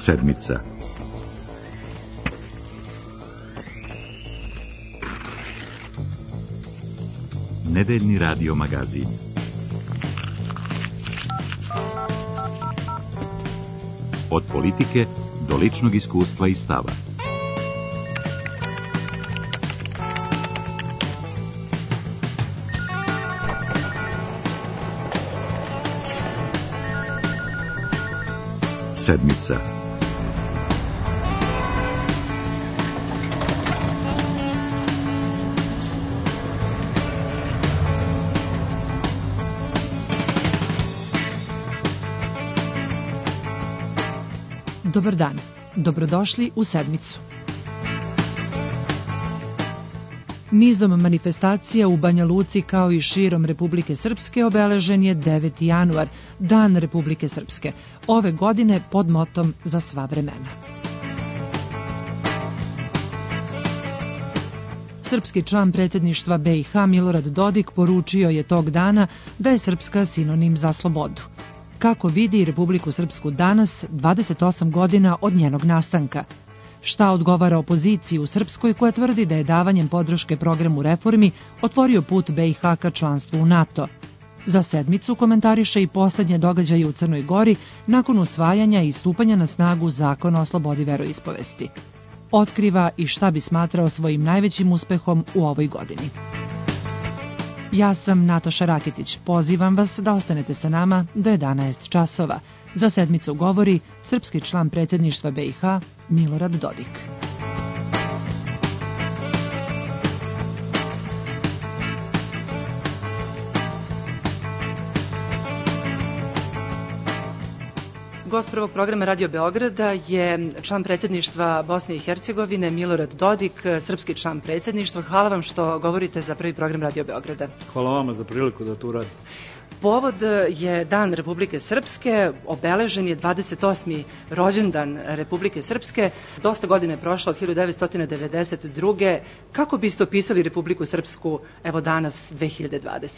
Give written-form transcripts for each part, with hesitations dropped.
Sedmica. Nedeljni radio magazin. Od politike do ličnog iskustva i stava. Sedmica. Dobar dan, dobrodošli u Sedmicu. Nizom manifestacija u Banja Luci kao i širom Republike Srpske obeležen je 9. januar, Dan Republike Srpske, ove godine pod motom Za sva vremena. Srpski član predsjedništva BiH Milorad Dodik poručio je tog dana da je Srpska sinonim za slobodu. Kako vidi Republiku Srpsku danas, 28 godina od njenog nastanka? Šta odgovara opoziciji u Srpskoj koja tvrdi da je davanjem podrške programu reformi otvorio put BiH ka članstvu u NATO? Za Sedmicu komentariše i posljednje događaje u Crnoj Gori nakon usvajanja i stupanja na snagu Zakona o slobodi veroispovesti. Otkriva i šta bi smatrao svojim najvećim uspehom u ovoj godini. Ja sam Nataša Rakitić. Pozivam vas da ostanete sa nama do 11 časova. Za Sedmicu govori srpski član predsjedništva BiH Milorad Dodik. Gost prvog programa Radio Beograda je član predsjedništva Bosne i Hercegovine Milorad Dodik, srpski član predsjedništva. Hvala vam što govorite za prvi program Radio Beograda. Hvala vama za priliku da to uradim. Povod je Dan Republike Srpske, obeležen je 28. rođendan Republike Srpske. Dosta godine je prošlo od 1992. Kako biste opisali Republiku Srpsku evo danas 2020.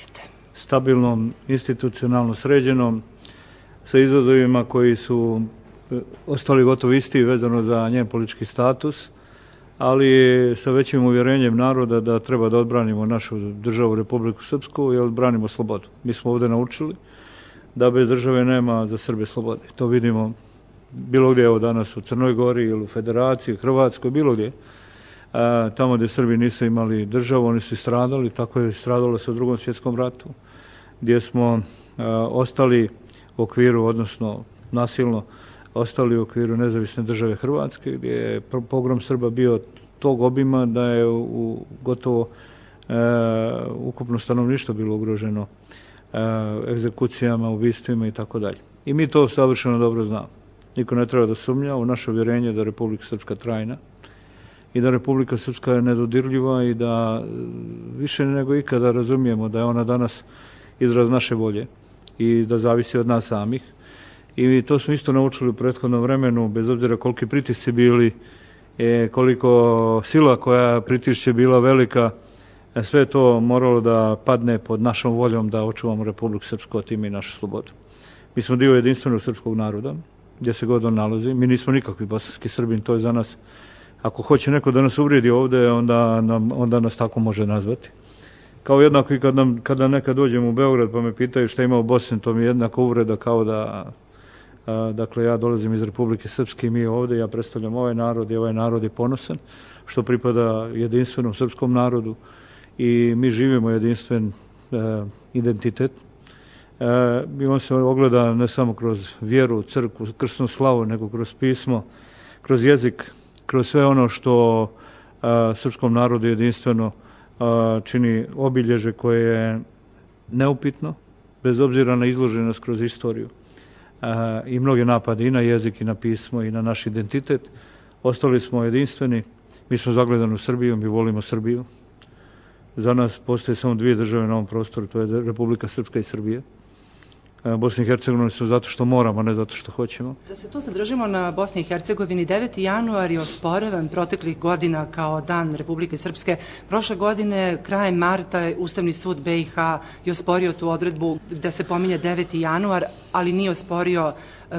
Stabilnom, institucionalno sređenom, sa izazovima koji su ostali gotovo isti vezano za njen politički status, ali sa većim uvjerenjem naroda da treba da odbranimo našu državu Republiku Srpsku i odbranimo slobodu. Mi smo ovdje naučili da bez države nema za Srbe slobode. To vidimo bilo gdje, evo danas u Crnoj Gori ili u Federaciji, Hrvatskoj, bilo gdje. Tamo gdje Srbi nisu imali državu, oni su i stradali, tako je stradalo se u Drugom svjetskom ratu, gdje smo ostali u okviru, odnosno nasilno ostali u okviru nezavisne države Hrvatske, gdje je pogrom Srba bio tog obima da je gotovo ukupno stanovništvo bilo ugroženo egzekucijama, ubistvima i tako dalje. I mi to savršeno dobro znamo. Niko ne treba da sumnja u naše uvjerenje da Republika Srpska trajna i da Republika Srpska je nedodirljiva i da više nego ikada razumijemo da je ona danas izraz naše volje i da zavisi od nas samih. I to smo isto naučili u prethodnom vremenu, bez obzira koliki pritisci bili, koliko sila koja pritišće bila velika, sve to moralo da padne pod našom voljom da očuvamo Republiku Srpsku, a time i našu slobodu. Mi smo dio jedinstvenog srpskog naroda, gdje se god on nalazi. Mi nismo nikakvi bosanski Srbin, to je za nas, ako hoće neko da nas uvrijedi ovdje, onda nas tako može nazvati. Kao jednako i kada nekad dođem u Beograd pa me pitaju šta ima u Bosni, to mi je jednako uvreda kao da, dakle, ja dolazim iz Republike Srpske i mi ovdje, ja predstavljam ovaj narod i ovaj narod je ponosan, što pripada jedinstvenom srpskom narodu i mi živimo jedinstven identitet. I on se ogleda ne samo kroz vjeru, crkvu, krsnu slavu, nego kroz pismo, kroz jezik, kroz sve ono što srpskom narodu jedinstveno čini obilježe koje je neupitno, bez obzira na izloženost kroz istoriju i mnoge napade i na jezik i na pismo i na naš identitet. Ostali smo jedinstveni, mi smo zagledani u Srbiju, mi volimo Srbiju. Za nas postoje samo dvije države na ovom prostoru, to je Republika Srpska i Srbija. Bosni i Hercegovini su zato što moramo, ne zato što hoćemo. Da se tu zadržimo na Bosni i Hercegovini, 9. januar je osporavan proteklih godina kao dan Republike Srpske. Prošle godine, krajem marta, Ustavni sud BiH je osporio tu odredbu da se pominje 9. januar, ali nije osporio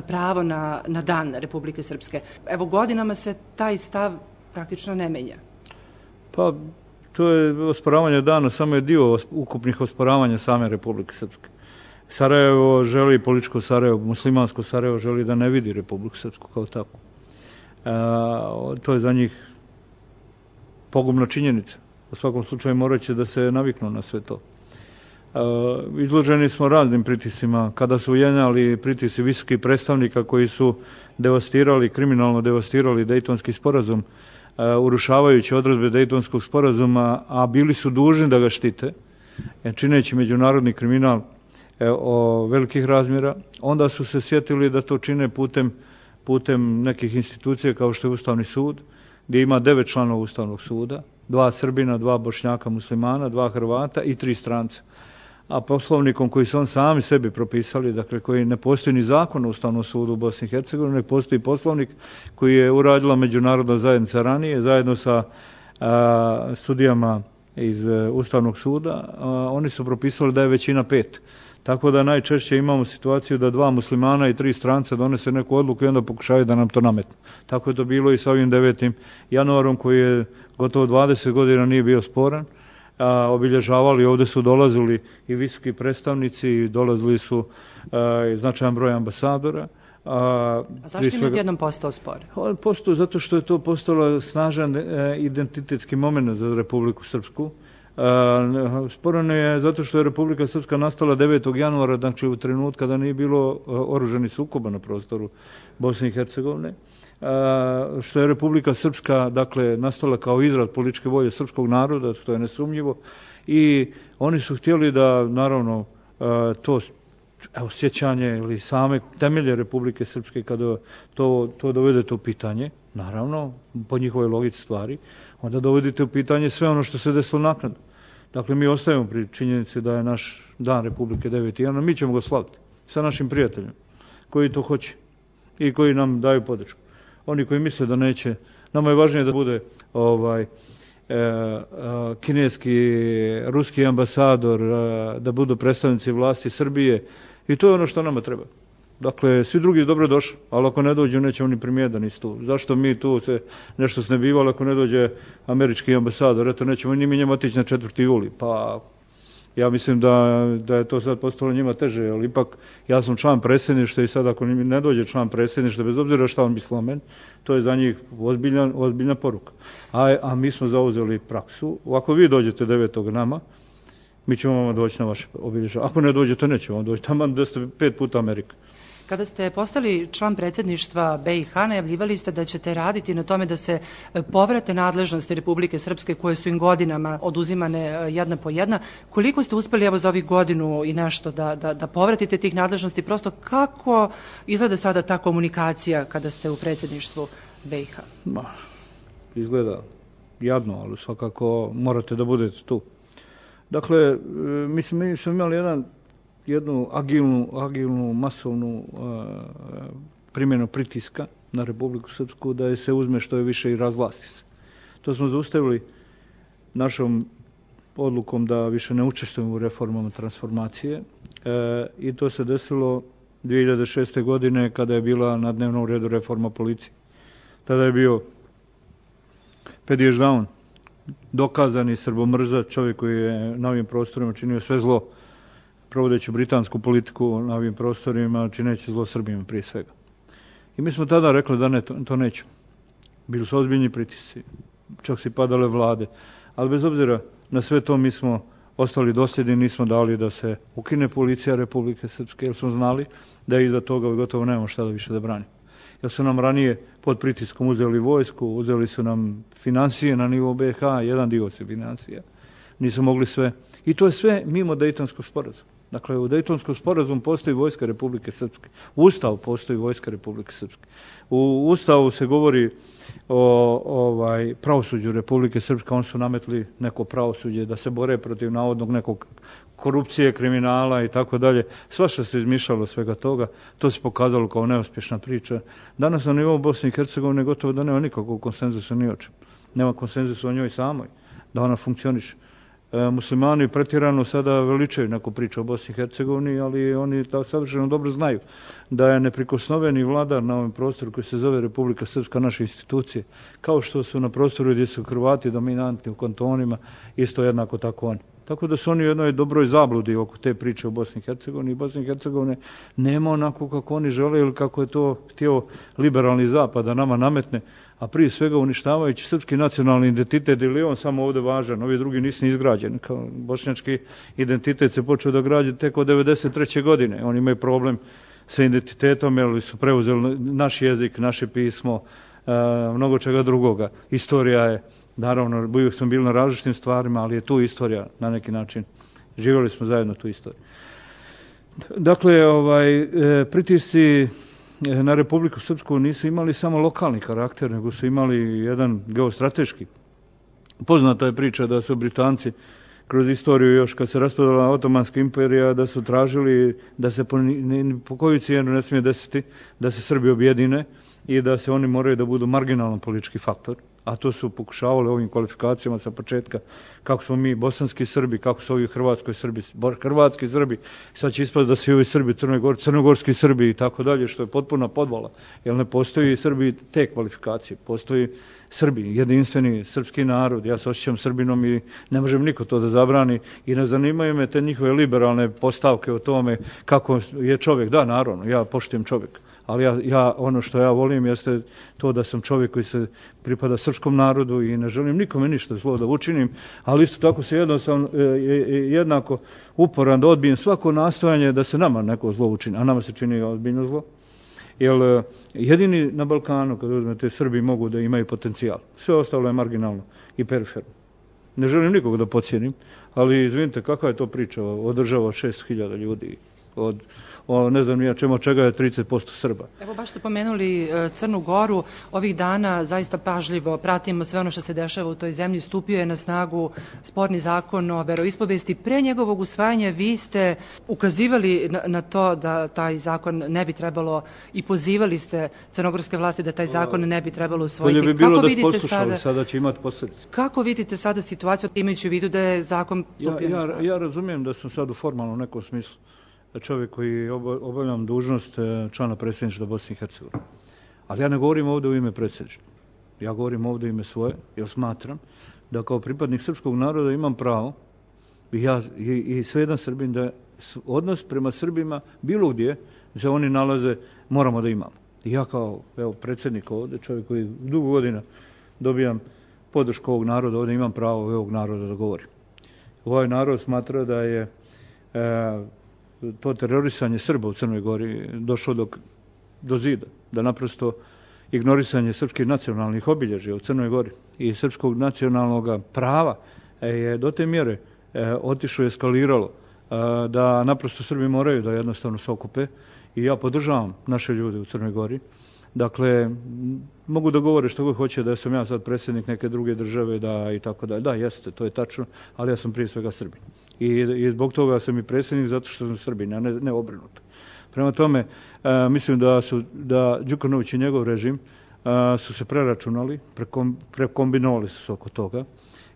pravo na dan Republike Srpske. Evo, godinama se taj stav praktično ne menja. Pa, to je osporavanje dana, samo je dio ukupnih osporavanja same Republike Srpske. Sarajevo želi, političko Sarajevo, muslimansko Sarajevo želi da ne vidi Republiku Srpsku kao tako. To je za njih pogubna činjenica. U svakom slučaju morat će da se naviknu na sve to. Izloženi smo raznim pritisima. Kada su jenjali pritisi visokih predstavnika koji su kriminalno devastirali Dejtonski sporazum, urušavajući odredbe Dejtonskog sporazuma, a bili su dužni da ga štite, čineći međunarodni kriminal o velikih razmjera, onda su se sjetili da to čine putem nekih institucija kao što je Ustavni sud, gdje ima 9 članova Ustavnog suda, 2 Srbina, 2 Bošnjaka muslimana, 2 Hrvata i 3 stranca. A poslovnikom koji su on sami sebi propisali, dakle koji ne postoji ni zakon o Ustavnom sudu u Bosni i Hercegovini, ne postoji poslovnik koji je uradila međunarodna zajednica ranije, zajedno sa sudijama iz Ustavnog suda, oni su propisali da je većina 5. Tako da najčešće imamo situaciju da 2 muslimana i 3 stranca donese neku odluku i onda pokušaju da nam to nametnu. Tako je to bilo i sa ovim 9. januarom koji je gotovo 20 godina nije bio sporan. Obilježavali, ovdje su dolazili i visoki predstavnici, dolazili su značajan broj ambasadora. A zašto je odjednom postao spor? Postao zato što je to postalo snažan identitetski moment za Republiku Srpsku. Sporan je zato što je Republika Srpska nastala 9. januara, znači u trenutku kada nije bilo oružanih sukoba na prostoru Bosne i Hercegovine. Što je Republika Srpska, dakle, nastala kao izraz političke volje srpskog naroda, što je nesumnjivo, i oni su htjeli da, naravno, to sjećanje ili same temelje Republike Srpske, kada to dovedete u pitanje, naravno, po njihovoj logici stvari, onda dovedete u pitanje sve ono što se desilo naknadno. Dakle, mi ostajemo pri činjenici da je naš dan Republike 9. januara, mi ćemo ga slaviti sa našim prijateljima, koji to hoće i koji nam daju podršku. Oni koji misle da neće, nama je važnije da bude kineski, ruski ambasador, da budu predstavnici vlasti Srbije, i to je ono što nama treba. Dakle, svi drugi dobro došli, ali ako ne dođu, nećemo ni primijeti da nisu tu. Zašto mi tu se nešto snebivali ako ne dođe američki ambasador? Eto, nećemo ni mi njemu otići na 4. juli. Pa, ja mislim da je to sad postalo njima teže, ali ipak ja sam član predsjedništva i sad ako ne dođe član predsjedništva, bez obzira šta on misli o meni, to je za njih ozbiljna poruka. A mi smo zauzeli praksu. Ako vi dođete 9. nama, mi ćemo vam doći na vaše obilježavanje. Ako ne dođete, nećemo vam doći. Tamo da ste 5 puta Amerika. Kada ste postali član predsjedništva BiH, najavljivali ste da ćete raditi na tome da se povrate nadležnosti Republike Srpske koje su im godinama oduzimane jedna po jedna. Koliko ste uspjeli evo za ovih godinu i nešto da povratite tih nadležnosti? Prosto kako izgleda sada ta komunikacija kada ste u predsjedništvu BiH? Izgleda jadno, ali svakako morate da budete tu. Dakle, mi smo imali jednu agilnu, masovnu primjenu pritiska na Republiku Srpsku da je se uzme što je više i razvlasti se. To smo zaustavili našom odlukom da više ne učestvujemo u reformama transformacije i to se desilo 2006. godine kada je bila na dnevnom redu reforma policije. Tada je bio Pediš Daun, dokazani srbomrzač, čovjek koji je na ovim prostorima činio sve zlo, provodeći britansku politiku na ovim prostorima, čineći zlo Srbima prije svega. I mi smo tada rekli da ne, to nećemo. Bili su ozbiljni pritisci, čak si padale vlade, ali bez obzira na sve to mi smo ostali dosljedni, nismo dali da se ukine policija Republike Srpske, jer smo znali da iza toga gotovo nemamo šta da više da branimo. Jer su nam ranije pod pritiskom uzeli vojsku, uzeli su nam financije na nivou BiH, jedan dio se financija. Nisu mogli sve. I to je sve mimo Dejtonskog sporazuma. Dakle, u Dejtonskom sporazumu postoji vojska Republike Srpske. U Ustavu postoji vojska Republike Srpske. U Ustavu se govori o pravosuđu Republike Srpske. Oni su nametli neko pravosuđe da se bore protiv navodnog nekog korupcije, kriminala i tako dalje. Svašta se izmišljalo svega toga. To se pokazalo kao neuspješna priča. Danas na nivou Bosne i Hercegovine gotovo da nema nikakvog konsenzusa ni o čemu. Nema konsenzusa o njoj samoj, da ona funkcioniše. Muslimani pretjerano sada veličaju neku priču o Bosni i Hercegovini, ali oni savršeno dobro znaju da je neprikosnoveni vladar na ovom prostoru koji se zove Republika Srpska naše institucije, kao što su na prostoru gdje su Hrvati dominantni u kantonima, isto jednako tako oni. Tako da su oni u jednoj dobroj zabludi oko te priče o Bosni i Hercegovini. Bosni i Hercegovine nema onako kako oni žele ili kako je to htio liberalni zapad da nama nametne, a prije svega uništavajući srpski nacionalni identitet, ili je on samo ovdje važan, ovi drugi nisu ni izgrađeni. Kao bošnjački identitet se počeo da građe tek od 1993. godine. Oni imaju problem sa identitetom, jer su preuzeli naš jezik, naše pismo, mnogo čega drugoga. Istorija je, naravno, uvijek smo bili na različitim stvarima, ali je tu istorija na neki način. Živjeli smo zajedno tu istoriju. Dakle, pritisci na Republiku Srpsku nisu imali samo lokalni karakter, nego su imali jedan geostrateški. Poznata je priča da su Britanci kroz istoriju, još kad se raspadala Otomanska imperija, da su tražili da se po koju cijenu ne smije desiti da se Srbi objedine i da se oni moraju da budu marginalan politički faktor, a to su pokušavali ovim kvalifikacijama sa početka, kako smo mi bosanski Srbi, kako su ovi hrvatski Srbi, sad će ispast da su i ovi Srbi crnogorski Srbi i tako dalje, što je potpuna podvala, jer ne postoji Srbi te kvalifikacije, postoji Srbi, jedinstveni srpski narod, ja se osjećam Srbinom i ne možem niko to da zabrani i ne zanimaju me te njihove liberalne postavke o tome kako je čovjek. Da, naravno, ja poštujem čovjeka. Ali ja ono što ja volim jeste to da sam čovjek koji se pripada srpskom narodu i ne želim nikome ništa zlo da učinim, ali isto tako se jednako uporan da odbijem svako nastojanje da se nama neko zlo učini, a nama se čini ozbiljno zlo. Jer jedini na Balkanu, kad uzmete, Srbi mogu da imaju potencijal. Sve ostalo je marginalno i periferno. Ne želim nikog da podsjenim, ali izvinite, kakva je to priča o država od 600.000 ljudi, ne znam ja čemu, čega je 30% Srba. Evo, baš ste pomenuli Crnu Goru. Ovih dana zaista pažljivo pratimo sve ono što se dešava u toj zemlji. Stupio je na snagu sporni zakon o veroispovesti. Pre njegovog usvajanja vi ste ukazivali na to da taj zakon ne bi trebalo i pozivali ste crnogorske vlasti da taj zakon ne bi trebalo usvojiti. Bolje bi bilo da poslušali, sada će imati posljedice. Kako vidite sada situaciju, imajući u vidu da je zakon stupio na snagu? Ja razumijem da sam sad u formalnom nekom smislu čovjek koji obavljam dužnost člana predsjedništva Bosne i Hercegovine. Ali ja ne govorim ovdje u ime predsjedništva. Ja govorim ovdje u ime svoje, jer smatram da kao pripadnik srpskog naroda imam pravo, i sve jedan Srbin, da odnos prema Srbima bilo gdje se oni nalaze moramo da imamo. I ja kao predsjednik ovdje, čovjek koji dugo godina dobijam podršku ovog naroda, ovdje imam pravo ovog naroda da govorim. Ovaj narod smatra da je to terorisanje Srba u Crnoj Gori došlo do zida, da naprosto ignorisanje srpskih nacionalnih obilježja u Crnoj Gori i srpskog nacionalnog prava je do te mjere otišlo i eskaliralo da naprosto Srbi moraju da jednostavno se okupe i ja podržavam naše ljude u Crnoj Gori. Dakle, mogu da govore što god hoće da sam ja sad predsjednik neke druge države da i tako dalje. Da, jeste, to je tačno, ali ja sam prije svega Srbin. I zbog toga sam i predsjednik zato što sam Srbin, a ne obrnuto. Prema tome, mislim da Đukanović i njegov režim su se preračunali, prekombinovali su se oko toga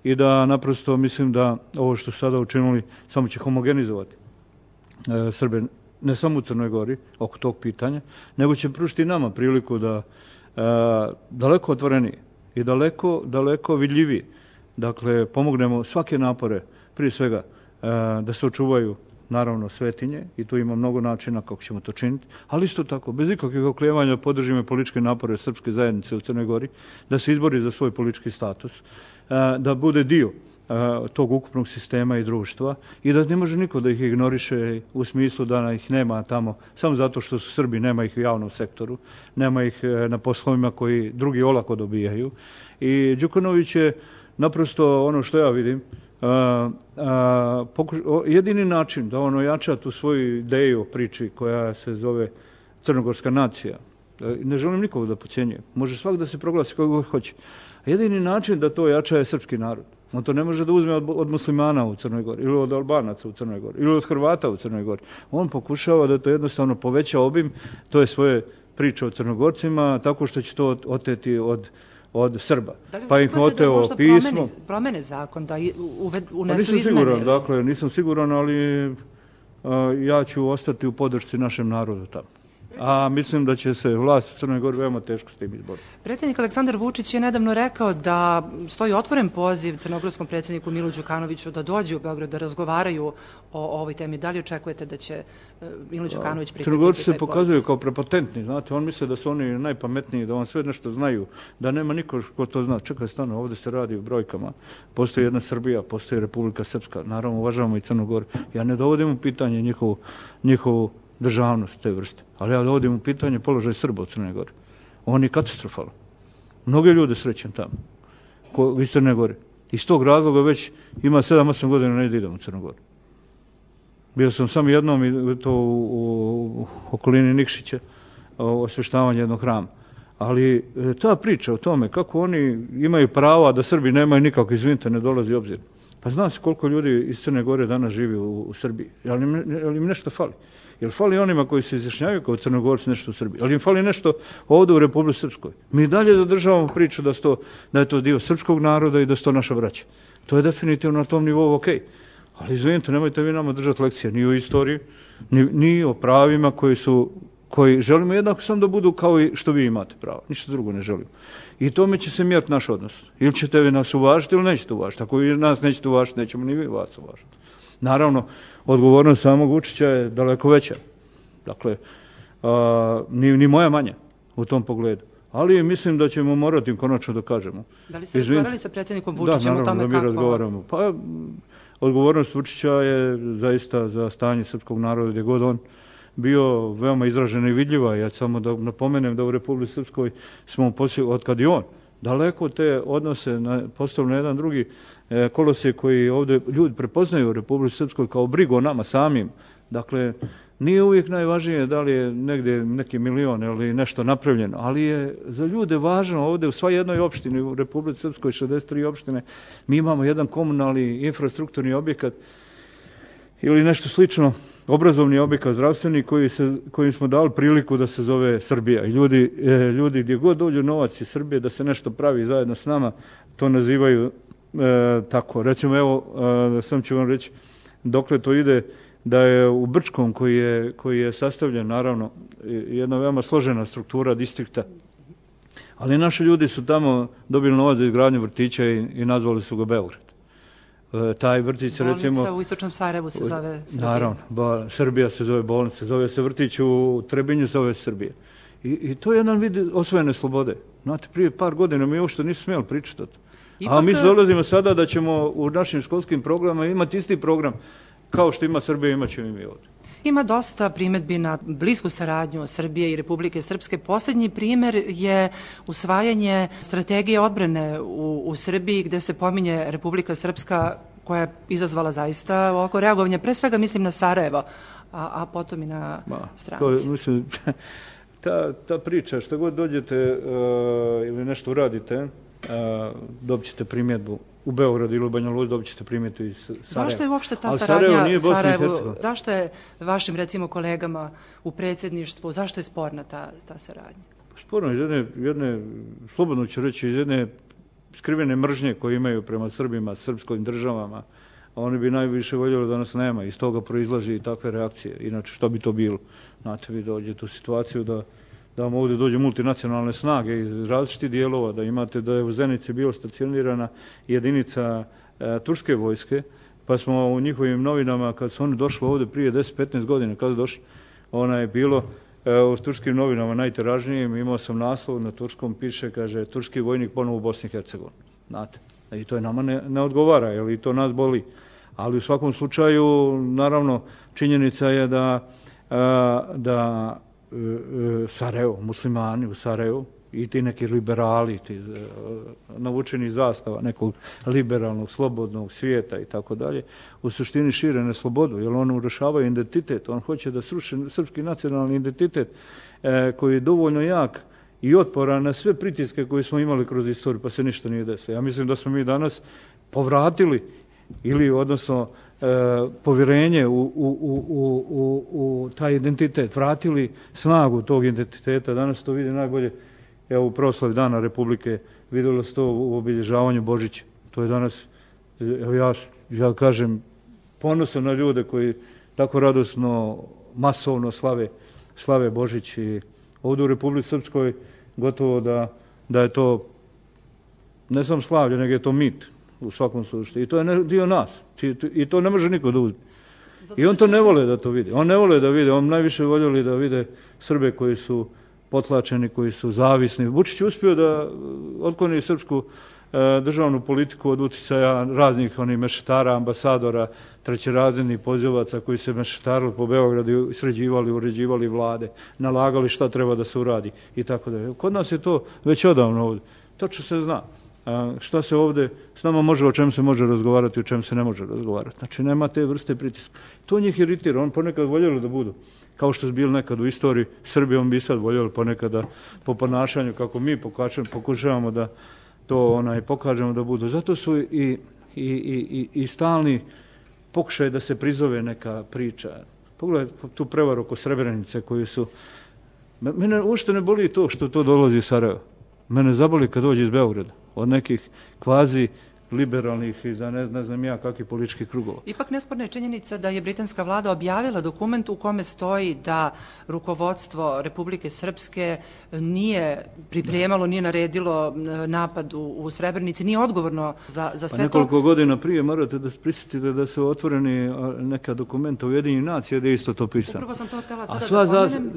i da naprosto mislim da ovo što su sada učinili samo će homogenizovati Srbe, ne samo u Crnoj Gori oko tog pitanja, nego će pružiti nama priliku da daleko otvorenije i daleko vidljivije, dakle, pomognemo svake napore, prije svega da se očuvaju naravno svetinje i tu ima mnogo načina kako ćemo to činiti, ali isto tako bez ikakvih oklijevanja podržimo političke napore srpske zajednice u Crnoj Gori, da se izbori za svoj politički status, da bude dio tog ukupnog sistema i društva i da ne može niko da ih ignoriše u smislu da ih nema tamo samo zato što su Srbi, nema ih u javnom sektoru, nema ih na poslovima koji drugi olako dobijaju. I Đukanović je naprosto, ono što ja vidim, jedini način da on ojača tu svoju ideju o priči koja se zove crnogorska nacija. Ne želim nikog da podcjenjuje. Može svak da se proglasi kako hoće. Jedini način da to ojača je srpski narod. On to ne može da uzme od muslimana u Crnoj Gori, ili od Albanaca u Crnoj Gori, ili od Hrvata u Crnoj Gori. On pokušava da to jednostavno poveća obim, to je svoje priče o Crnogorcima, tako što će to oteti od Srba. Pa ih oteo pismo. Promene zakon, da unesu izmene? Dakle, nisam siguran, ali ja ću ostati u podršci našem narodu tamo. A mislim da će se vlast u Crnoj Gori veoma teško s tim izboriti. Predsjednik Aleksandar Vučić je nedavno rekao da stoji otvoren poziv crnogorskom predsjedniku Milu Đukanoviću da dođe u Beograd da razgovaraju o ovoj temi. Da li očekujete da će Milo Đukanović prihvatiti taj poziv? Crnogorci se pokazuju kao prepotentni, znate, on misle da su oni najpametniji, da on sve nešto znaju, da nema niko ko to zna. Čekaj, stano, ovdje se radi u brojkama. Postoji jedna Srbija, postoji Republika Srpska, naravno uvažavamo i Crnu Goru. Ja ne dovodim u pitanje njihovu državnost te vrste. Ali ja dovodim u pitanje položaj Srba u Crnoj Gori. On je katastrofalan. Mnogi ljude srećem tamo, iz Crne Gore. Iz tog razloga već ima 7-8 godina ne idem u Crnu Goru. Bio sam samo jednom i to u okolini Nikšića, osveštavanje jednog hrama. Ali ta priča o tome kako oni imaju prava da Srbi nemaju nikako, izvinite, ne dolazi u obzir. Pa zna se koliko ljudi iz Crne Gore danas živi u Srbiji. Ali im nešto fali. Jer fali onima koji se izjašnjavaju kao Crnogorci nešto u Srbiji. Ali im fali nešto ovdje u Republici Srpskoj. Mi dalje zadržavamo priču da je to dio srpskog naroda i da su to naša braća. To je definitivno na tom nivou okej. Ali izvinite, nemojte vi nama držati lekcije ni o istoriji, ni o pravima koji želimo jednako samo da budu kao i što vi imate prava. Ništa drugo ne želimo. I tome će se mjeriti naš odnos. Ili ćete vi nas uvažiti ili nećete uvažiti. Ako vi nas nećete uvažiti, nećemo ni vi vas uvažiti. Naravno, odgovornost samog Vučića je daleko veća. Dakle, ni moja manja u tom pogledu. Ali mislim da ćemo morati konačno da kažemo. Da li ste razgovarali sa predsjednikom Vučićem o tome kako? Da, naravno, da mi razgovaramo. Pa, odgovornost Vučića je zaista za stanje srpskog naroda gdje god on bio veoma izražena i vidljiva. Ja samo da napomenem da u Republici Srpskoj smo otkad i on daleko te odnose postavili na jedan drugi kolosije koji ovdje ljudi prepoznaju u Republici Srpskoj kao brigu o nama samim. Dakle, nije uvijek najvažnije da li je negdje neki milion ili nešto napravljeno, ali je za ljude važno ovdje u svoj jednoj opštini u Republici Srpskoj 63 opštine mi imamo jedan komunalni infrastrukturni objekat ili nešto slično, obrazovni objekat zdravstveni koji smo dali priliku da se zove Srbija. I ljudi gdje god dođu novac iz Srbije da se nešto pravi zajedno s nama, to nazivaju tako. Recimo, evo, sam ću vam reći dokle to ide, da je u Brčkom koji je sastavljen, naravno, jedna veoma složena struktura distrikta, ali naši ljudi su tamo dobili novac za izgradnju vrtića i nazvali su ga Beograd. Taj vrtić se recimo... Bolnica u istočnom Sarajevu se zove Srbija. Naravno, Srbija se zove bolnica, zove se vrtić u Trebinju, zove se Srbija. I to je jedan vid osvojene slobode. Znate, prije par godina mi uopšte nisu smjeli pričati o to. A mi dolazimo sada da ćemo u našim školskim programima imati isti program kao što ima Srbija, imat ćemo i mi ovdje. Ima dosta primjedbi na blisku saradnju Srbije i Republike Srpske. Posljednji primjer je usvajanje strategije odbrane u Srbiji gdje se pominje Republika Srpska koja je izazvala zaista ovako reagovanje. Pre svega mislim na Sarajevo, a potom i na stranici. Mislim, ta priča, što god dođete ili nešto uradite, dobit ćete primjedbu u Beogradu ili u Banja Luci, dobit ćete primjedbu iz Sarajeva. Zašto je uopšte ta saradnja Sarajevu? Zašto je vašim, recimo, kolegama u predsjedništvu, zašto je sporna ta saradnja? Sporno iz jedne, slobodno ću reći, iz jedne skrivene mržnje koje imaju prema Srbima, srpskim državama. Oni bi najviše voljeli da nas nema. Iz toga proizlazi i takve reakcije. Inače, što bi to bilo? Znate, vi dođete u situaciju da vam ovdje dođe multinacionalne snage iz različitih dijelova, da imate da je u Zenici bio stacionirana jedinica turske vojske, pa smo u njihovim novinama, kad su oni došli ovdje prije 10-15 godina, kada su došli, ona je bilo u turskim novinama najtiražnijim, imao sam naslov na turskom, piše, kaže, turski vojnik ponovo u Bosni i Hercegovini. Znate, i to je nama ne odgovara, jer i to nas boli. Ali u svakom slučaju, naravno, činjenica je da Sarajevo, muslimani u Sarajevu, i ti neki liberali, ti navučeni zastava nekog liberalnog, slobodnog svijeta i tako dalje, u suštini šire neslobodu, jer on urušava identitet, on hoće da sruši srpski nacionalni identitet koji je dovoljno jak i otporan na sve pritiske koje smo imali kroz istoriju, pa se ništa nije desilo. Ja mislim da smo mi danas povratili ili odnosno povjerenje u taj identitet, vratili snagu tog identiteta. Danas to vidi najbolje, evo u proslavi Dana Republike, vidjelo se to u obilježavanju Božića. To je danas, evo ja kažem, ponosan na ljude koji tako radosno, masovno slave Božić. I ovdje u Republici Srpskoj gotovo da je to ne samo slavlje, nego je to mit u svakom slučaju. I to je dio nas. I to ne može niko da uzme. I on to ne vole da to vidi. On ne vole da vide. On najviše voljeli da vide Srbe koji su potlačeni, koji su zavisni. Vučić je uspio da otkloni srpsku državnu politiku od uticaja raznih mešetara, ambasadora, trećerazrednih pozivaca koji se mešetarili po Beogradu i sređivali, uređivali vlade, nalagali šta treba da se uradi i tako dalje. Kod nas je to već odavno ovdje. Točno se zna šta se ovdje s nama može, o čem se može razgovarati, o čem se ne može razgovarati. Znači nema te vrste pritiska. To njih iritira. On ponekad voljeli da budu kao što su bili nekad u istoriji Srbije, on bi sad voljeli ponekada po ponašanju kako mi pokušavamo da to pokažemo da budu. Zato su i stalni pokušaj da se prizove neka priča. Pogledaj tu prevaru oko Srebrenice koju su... Mene uopšte ne boli to što to dolazi iz Sarajeva. Mene zaboli kad dođe iz Beograda. Od nekih kvazi liberalnih i za ne znam ja kakvih političkih krugova. Ipak nesporna je činjenica da je britanska vlada objavila dokument u kome stoji da rukovodstvo Republike Srpske nije pripremalo, nije naredilo napad u Srebrenici, nije odgovorno za sve to. Pa nekoliko godina prije morate da prisjetite da su otvoreni neka dokumenta Ujedinjenih nacija gdje je isto to pisano. Upravo sam to htjela sada da pomenem.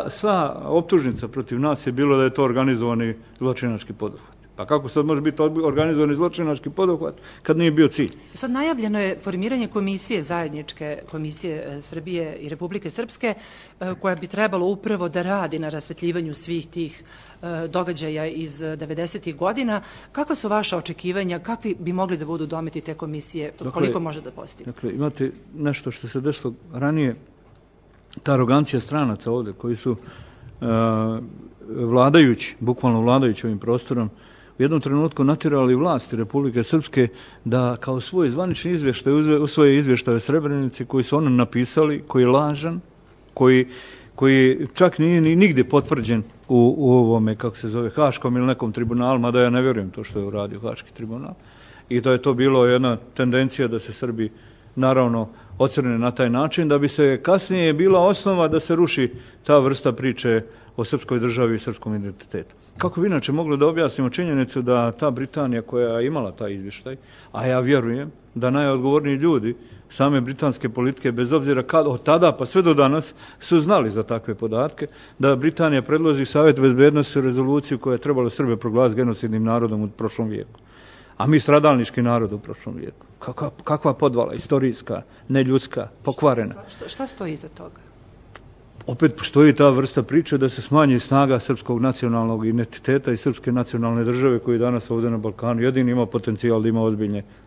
Sva optužnica protiv nas je bilo da je to organizovani zločinački poduhvat. Pa kako sad može biti organizovani zločinački poduhvat kad nije bio cilj? Sad najavljeno je formiranje komisije, zajedničke komisije Srbije i Republike Srpske, koja bi trebalo upravo da radi na rasvetljivanju svih tih događaja iz 90. godina. Kakva su vaša očekivanja? Kakvi bi mogli da budu dometi te komisije? Koliko može da postigne? Dakle, imate nešto što se desilo ranije, ta arogancija stranaca ovdje, koji su vladajući, bukvalno vladajući ovim prostorom, u jednom trenutku natjerali vlasti Republike Srpske da kao svoj zvanični izvještaj usvoje izvještaje o Srebrenici koji su oni napisali, koji je lažan, koji čak nije ni nigdje potvrđen u ovome, kako se zove, Haškom ili nekom tribunalu, mada ja ne vjerujem to što je uradio Haški tribunal. I da je to bilo jedna tendencija da se Srbi naravno ocrne na taj način, da bi se kasnije bila osnova da se ruši ta vrsta priče o srpskoj državi i srpskom identitetu. Kako bi inače mogli da objasnimo činjenicu da ta Britanija koja je imala taj izvještaj, a ja vjerujem da najodgovorniji ljudi same britanske politike, bez obzira od tada pa sve do danas, su znali za takve podatke, da Britanija predloži Savjet bezbednosti rezoluciju koja je trebala Srbe proglasiti genocidnim narodom u prošlom vijeku. A mi stradalnički narod u prošlom vijeku. Kakva podvala, istorijska, neljudska, pokvarena. Šta stoji iza toga? Opet postoji ta vrsta priče da se smanji snaga srpskog nacionalnog identiteta i srpske nacionalne države koji danas ovdje na Balkanu jedini ima potencijal da ima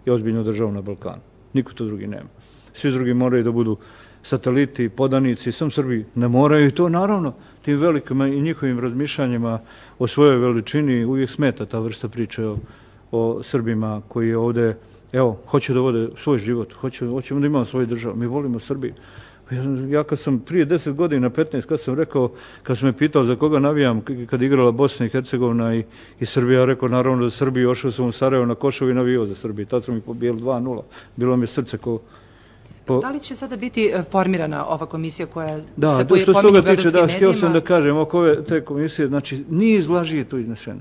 ozbiljnu državu na Balkanu. Niko to drugi nema. Svi drugi moraju da budu sateliti, podanici, sam Srbi ne moraju i to naravno tim velikim i njihovim razmišljanjima o svojoj veličini uvijek smeta ta vrsta priče o Srbima koji je ovdje, hoće da vode svoj život, hoćemo da imamo svoju državu, mi volimo Srbiju. Ja kad sam prije 10 godina, 15, kad sam rekao, kad sam me pitao za koga navijam, kad igrala Bosna i Hercegovina i Srbija, rekao naravno za Srbiju, ošao sam u Sarajevo na Košovu i navijao za Srbiju. Tad sam ih pobijeli 2-0. Bilo mi je srce Da li će sada biti formirana ova komisija koja se pominje u beogradskim medijima? Htio sam da kažem, oko te komisije, znači, niz laži je to iznešeno.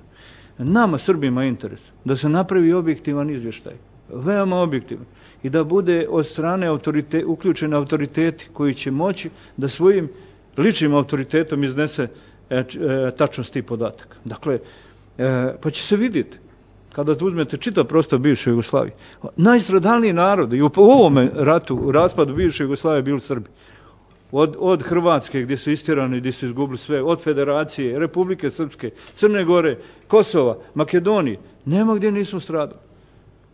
Nama, Srbima, je interes da se napravi objektivan izvještaj. Veoma objektivan. I da bude od strane uključeni autoriteti koji će moći da svojim ličnim autoritetom iznese tačnost tih podataka. Dakle, pa će se vidjeti, kada uzmete čitav prostor bivše Jugoslavije, najstradalniji narod i u ovome ratu, u raspadu bivše Jugoslavije bili Srbi. od Hrvatske gdje su istjerani, gdje su izgubili sve, od Federacije, Republike Srpske, Crne Gore, Kosova, Makedonije, nema gdje nismo stradali.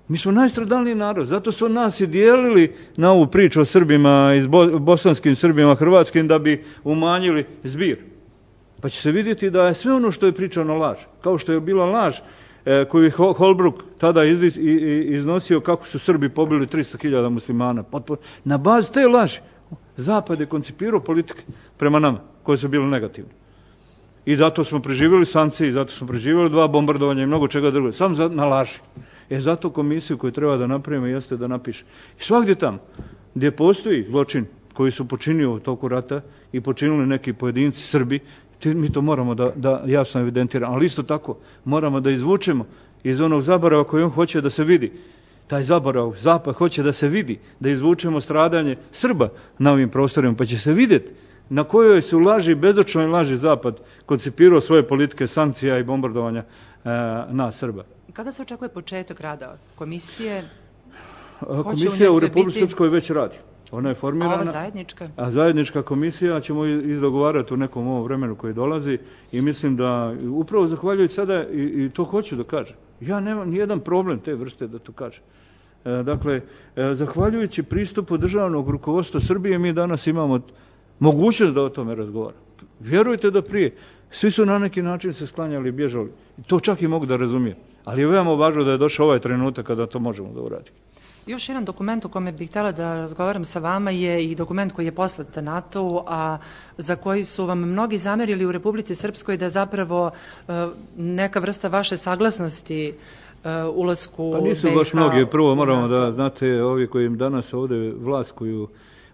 Mi smo najstradalniji narod, zato su nas i dijelili na ovu priču o Srbima, bosanskim Srbima, hrvatskim, da bi umanjili zbir. Pa će se vidjeti da je sve ono što je pričano laž. Kao što je bila laž koju je Holbrooke tada iznosio kako su Srbi pobili 300.000 muslimana. Na bazi te laži Zapad je koncipirao politike prema nama, koje su bile negativne. I zato smo preživjeli sankcije, zato smo preživjeli 2 bombardovanja i mnogo čega drugo. Samo na laži. Zato komisiju koju treba da napravimo jeste da napiše. I svakdje tamo gdje postoji zločin koji su počinili u toku rata i počinili neki pojedinci Srbi, mi to moramo da jasno evidentiramo. Ali isto tako moramo da izvučemo iz onog zaborava koji on hoće da se vidi. Taj zaborav, Zapad hoće da se vidi, da izvučemo stradanje Srba na ovim prostorima, pa će se vidjeti na kojoj su laži, bezočnoj laži Zapad koncipirao svoje politike sankcija i bombardovanja na Srba. Kada se očekuje početak rada komisije? Komisija u Republici Srpskoj već radi. Ona je formirana. A ova zajednička? A zajednička komisija ćemo izdogovarati u nekom ovom vremenu koji dolazi i mislim da upravo zahvaljujući sada i to hoću da kažem. Ja nemam nijedan problem te vrste da to kažem. Dakle, zahvaljujući pristupu državnog rukovodstva Srbije mi danas imamo mogućnost da o tome razgovaramo. Vjerujte da prije svi su na neki način se sklanjali i bježali. To čak i mogu da razumijem. Ali je veoma važno da je došao ovaj trenutak kada to možemo da uradimo. Još jedan dokument o kome bih htjela da razgovaram sa vama je i dokument koji je poslat NATO-u, a za koji su vam mnogi zamerili u Republici Srpskoj da je zapravo neka vrsta vaše saglasnosti ulasku BiH. Pa nisu baš mnogi. Prvo moramo da znate, ovi koji im danas ovdje vlast koju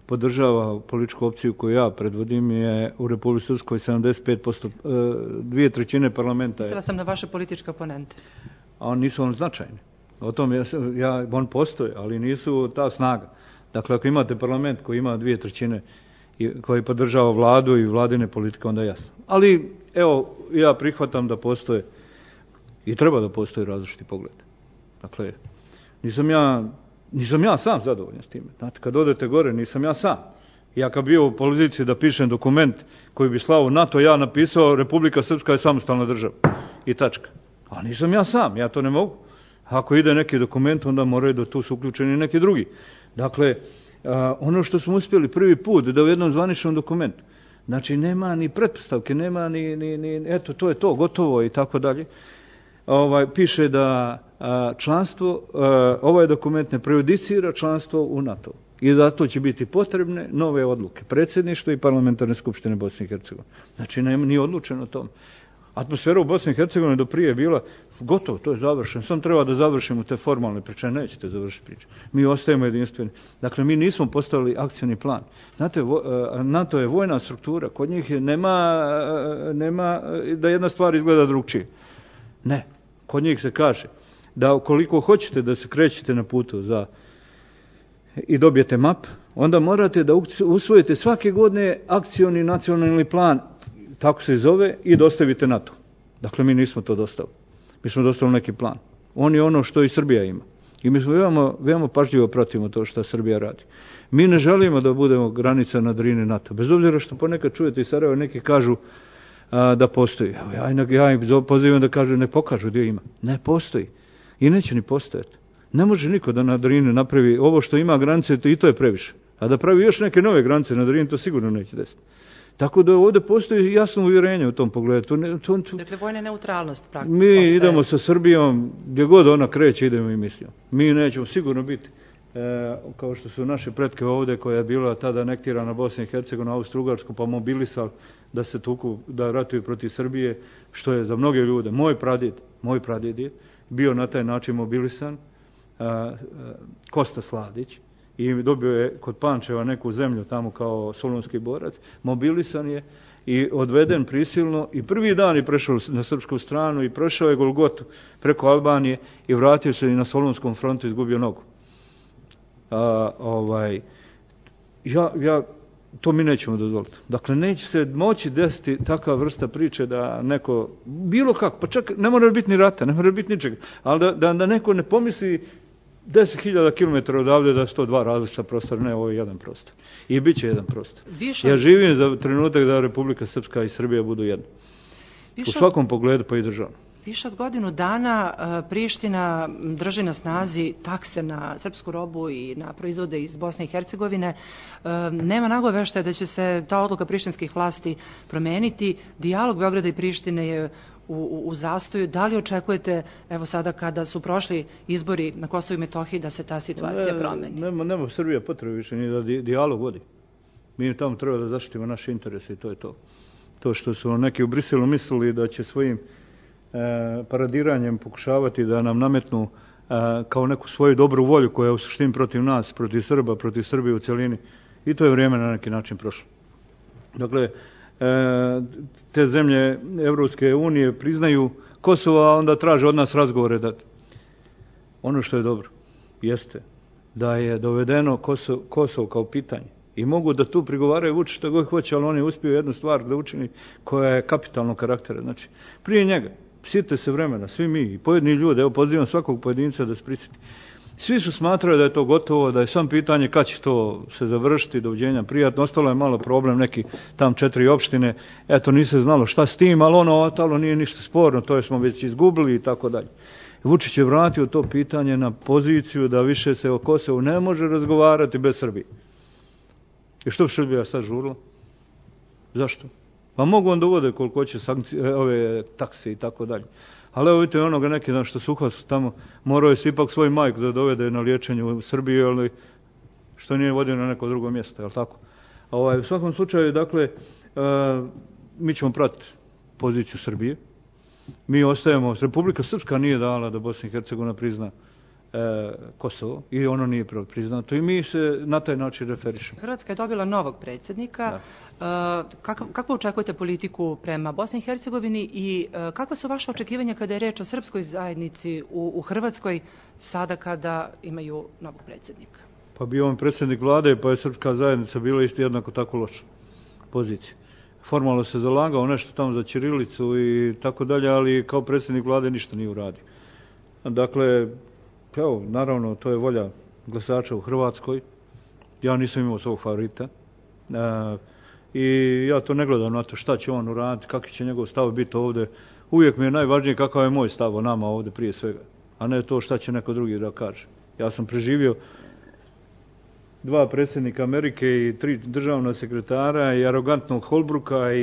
podržava političku opciju koju ja predvodim je u Republici Srpskoj 75%, 2/3 parlamenta. Mislila sam na vaše političke oponente. A nisu on značajni. O tom on postoje, ali nisu ta snaga. Dakle, ako imate parlament koji ima 2/3 koji podržava vladu i vladine politike, onda je jasno. Ali, evo, ja prihvatam da postoje i treba da postoje različiti pogled. Dakle, nisam ja sam zadovoljan s time. Znate, kad odete gore, nisam ja sam. Ja kad bio u poziciji da pišem dokument koji bi slao NATO, ja napisao Republika Srpska je samostalna država. I tačka. A nisam ja sam, ja to ne mogu. Ako ide neki dokument, onda moraju da tu su uključeni neki drugi. Dakle, ono što smo uspjeli prvi put da u jednom zvaničnom dokumentu, znači nema ni pretpostavke, nema ni eto, to je to, gotovo i tako dalje, piše da članstvo, ovaj dokument ne prejudicira članstvo u NATO. I zato će biti potrebne nove odluke. Predsjedništvo i parlamentarne skupštine Bosne i Hercegovine. Znači, nije odlučeno o tom. Atmosfera u Bosni i Hercegovini do prije je bila gotovo, to je završeno. Sam treba da završimo te formalne priče, nećete završiti priče. Mi ostajemo jedinstveni. Dakle, mi nismo postavili akcioni plan. Znate, NATO je vojna struktura, kod njih nema da jedna stvar izgleda drugčije. Ne, kod njih se kaže da ukoliko hoćete da se krećete na putu i dobijete map, onda morate da usvojite svake godine akcioni nacionalni plan, tako se zove, i dostavite NATO. Dakle, mi nismo to dostavili. Mi smo dostavili neki plan. On je ono što i Srbija ima. I mi smo veoma pažljivo pratimo to što Srbija radi. Mi ne želimo da budemo granica na Drini NATO. Bez obzira što ponekad čujete iz Sarajeva, neki kažu da postoji. Ja im pozivam da kažu, ne pokažu gdje ima. Ne postoji. I neće ni postojati. Ne može niko da na Drini napravi ovo što ima granice, i to je previše. A da pravi još neke nove granice na Drini, to sigurno neće desiti. Tako da ovdje postoji jasno uvjerenje u tom pogledu. Dakle, vojna neutralnost praktično. Mi idemo sa Srbijom, gdje god ona kreće, idemo i mislimo. Mi nećemo sigurno biti, kao što su naše pretke ovdje, koja je bila tada anektirana Bosna i Hercegovina, Austro-Ugarsku, pa mobilisali da se tuku, da ratuju protiv Srbije, što je za mnoge ljude. Moj pradjed je bio na taj način mobilisan, Kosta Sladić, i dobio je kod Pančeva neku zemlju tamo kao solunski borac, mobilisan je i odveden prisilno i prvi dan je prešao na srpsku stranu i prošao je Golgotu preko Albanije i vratio se i na Solunskom frontu izgubio nogu. To mi nećemo dozvoliti. Dakle, neće se moći desiti takva vrsta priče da neko, bilo kako, pa čak ne mora biti ni rata, ne mora biti ničega, ali da neko ne pomisli 10.000 km odavde da su to dva različita prostora, ne, ovo je jedan prostor. I bit će jedan prostor. Ja živim za trenutak da Republika Srpska i Srbija budu jedno. U svakom pogledu, pa i državno. Više od godinu dana Priština drži na snazi takse na srpsku robu i na proizvode iz Bosne i Hercegovine. Nema nagoveštaja da će se ta odluka prištinskih vlasti promeniti. Dijalog Beograda i Prištine je u zastoju. Da li očekujete, evo sada kada su prošli izbori na Kosovu i Metohiji, da se ta situacija promeni? Nema Srbija potrebe više ni da dijalog vodi. Mi tamo treba da zaštitimo naše interese i to je to. To što su neki u Briselu mislili da će svojim paradiranjem pokušavati da nam nametnu kao neku svoju dobru volju koja je u suštini protiv nas, protiv Srba, protiv Srbije u cjelini. I to je vrijeme na neki način prošlo. Dakle, te zemlje Evropske unije priznaju Kosovo, a onda traže od nas razgovore. Ono što je dobro jeste da je dovedeno Kosovo kao pitanje. I mogu da tu prigovaraju Vučić što god hoće, ali on je uspio jednu stvar da učini koja je kapitalnog karaktera. Znači, prije njega, sjetite se vremena, svi mi i pojedini ljudi, evo pozivam svakog pojedinca da se prisjeti. Svi su smatrali da je to gotovo, da je sam pitanje kad će to se završiti, doviđenja prijatno. Ostalo je malo problem, neki tam 4 opštine, eto nije se znalo šta s tim, ali ono ostalo nije ništa sporno, to je smo već izgubili i tako dalje. Vučić je vratio to pitanje na poziciju da više se o Kosovu ne može razgovarati bez Srbije. I što bi Srbija sad žurila? Zašto? Pa mogu on da uvode koliko će sankcije, ove takse i tako dalje. Ali evo vidite onoga neki dan što su uhvatili tamo, morao je ipak svoj majku da dovede na liječenje u Srbiju, ali što nije vodio na neko drugo mjesto, jel tako? U svakom slučaju, dakle, mi ćemo pratiti poziciju Srbije. Mi ostajemo, Republika Srpska nije dala da Bosna i Hercegovina prizna Kosovo i ono nije priznato i mi se na taj način referišemo. Hrvatska je dobila novog predsjednika. Kako očekujete politiku prema Bosni i Hercegovini i kakva su vaše očekivanja kada je reč o srpskoj zajednici u Hrvatskoj sada kada imaju novog predsjednika? Pa bio on predsjednik vlade, pa je srpska zajednica bila isto jednako tako loša pozicija. Formalno se zalagao nešto tamo za ćirilicu i tako dalje, ali kao predsjednik vlade ništa nije uradio. Dakle, evo, naravno, to je volja glasača u Hrvatskoj. Ja nisam imao svog favorita. I ja to ne gledam na to šta će on uraditi, kakvi će njegov stav biti ovdje. Uvijek mi je najvažnije kakav je moj stav o nama ovdje prije svega, a ne to šta će neko drugi da kaže. Ja sam preživio 2 predsjednika Amerike i 3 državna sekretara i arogantnog Holbrooka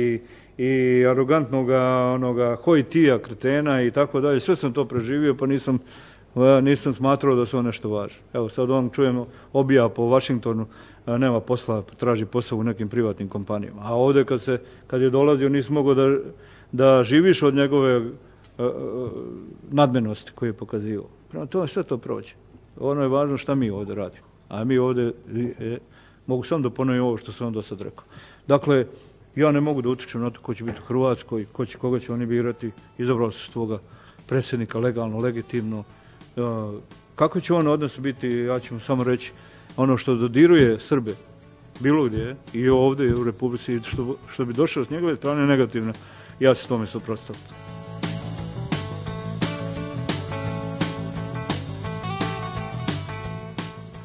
i arogantnog onoga Hojtija, kretena i tako dalje. Sve sam to preživio, pa nisam smatrao da su on nešto važno. Evo sad on čujemo obija po Washingtonu, nema posla, traži posao u nekim privatnim kompanijama. A ovdje kad je dolazio nisi mogao da živiš od njegove nadmenosti koje je pokazivao. Prema tome sve to prođe. Ono je važno šta mi ovdje radimo. A mi ovdje, mogu samo da ponovim ovo što sam vam do sad rekao. Dakle, ja ne mogu da utičem na to ko će biti u Hrvatskoj, koga će oni birati, izabrao se svoga predsjednika legalno, legitimno. Kako će on odnos biti, ja ću mu samo reći, ono što dodiruje Srbe, bilo gdje, i ovdje u Republici, što bi došlo s njegove strane negativno, ja ću tome suprotstaviti.